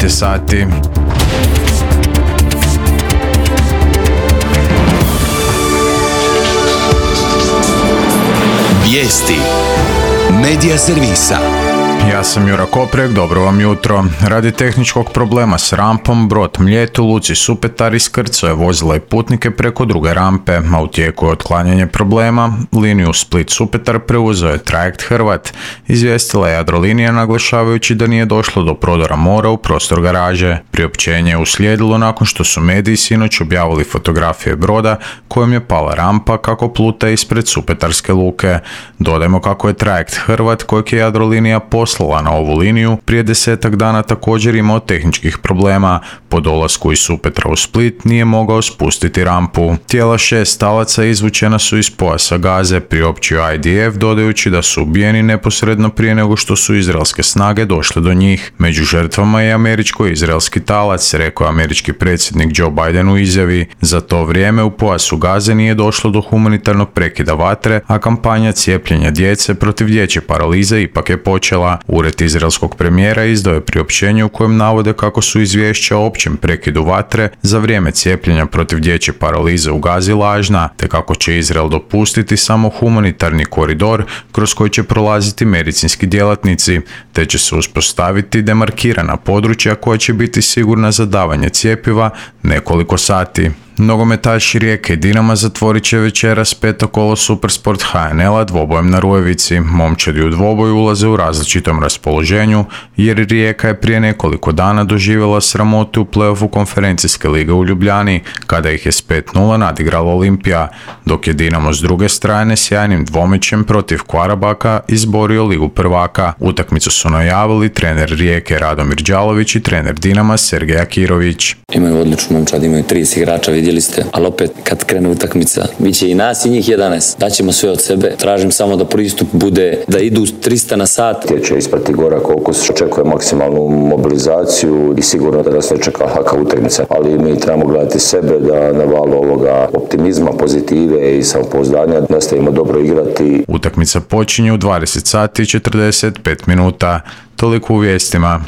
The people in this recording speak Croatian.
9 je sati. Vijesti Medija servisa. Ja sam Jura Koprek, dobro vam jutro. Radi tehničkog problema s rampom, brod Mljet u luci Supetar iskrcao je vozila i putnike preko druge rampe, a u tijeku je otklanjanje problema. Liniju Split-Supetar preuzeo je trajekt Hrvat, izvijestila je Jadrolinija naglašavajući da nije došlo do prodora mora u prostor garaže. Priopćenje je uslijedilo nakon što su mediji sinoć objavili fotografije broda kojom je pala rampa kako pluta ispred Supetarske luke. Dodajmo kako je trajekt Hrvat, kojeg je Jadrolinija poslala na ovu liniju, prije 10 dana također imao tehničkih problema. Po dolasku iz Supetra u Split nije mogao spustiti rampu. Tijela 6 talaca izvučena su iz pojasa Gaze, priopćio IDF, dodajući da su ubijeni neposredno prije nego što su izraelske snage došle do njih. Među žrtvama je američko-izraelski talac, rekao je američki predsjednik Joe Biden u izjavi. Za to vrijeme u pojasu Gaze nije došlo do humanitarnog prekida vatre, a kampanja cijepljenja djece protiv dječje paralize ipak je počela. Ured izraelskog premijera izdao je priopćenje u kojem navode kako su izvješća o općem prekidu vatre za vrijeme cijepljenja protiv dječje paralize u Gazi lažna, te kako će Izrael dopustiti samo humanitarni koridor kroz koji će prolaziti medicinski djelatnici, te će se uspostaviti demarkirana područja koja će biti sigurna za davanje cjepiva nekoliko sati. Nogometaši Rijeke i Dinama zatvorit će večeras peto kolo Supersport HNL-a dvobojem na Rujevici. Momčadi u dvoboj ulaze u različitom raspoloženju jer Rijeka je prije nekoliko dana doživjela sramotu u play-offu konferencijske lige u Ljubljani, kada ih je s 5-0 nadigrala Olimpija, dok je Dinamo s druge strane sjajnim dvomećem protiv Kvarabaka izborio ligu prvaka. Utakmicu su najavili trener Rijeke Radomir Đalović i trener Dinama Sergej Akirović. Imaju odličnu momčad, imaju 30 igrača, vidjeli ste, ali opet kad krene utakmica, bit će i nas i njih 11. Daćemo sve od sebe, tražim samo da pristup bude, da idu 300 na sat. Će ispati gora koliko se očekuje maksimalnu mobilizaciju i sigurno da se čeka laka utakmica, ali mi trebamo gledati sebe da na valu ovoga optimizma, pozitive i samopouzdanja nastavimo dobro igrati. Utakmica počinje u 20 sati i 45 minuta. Toliko u vijestima.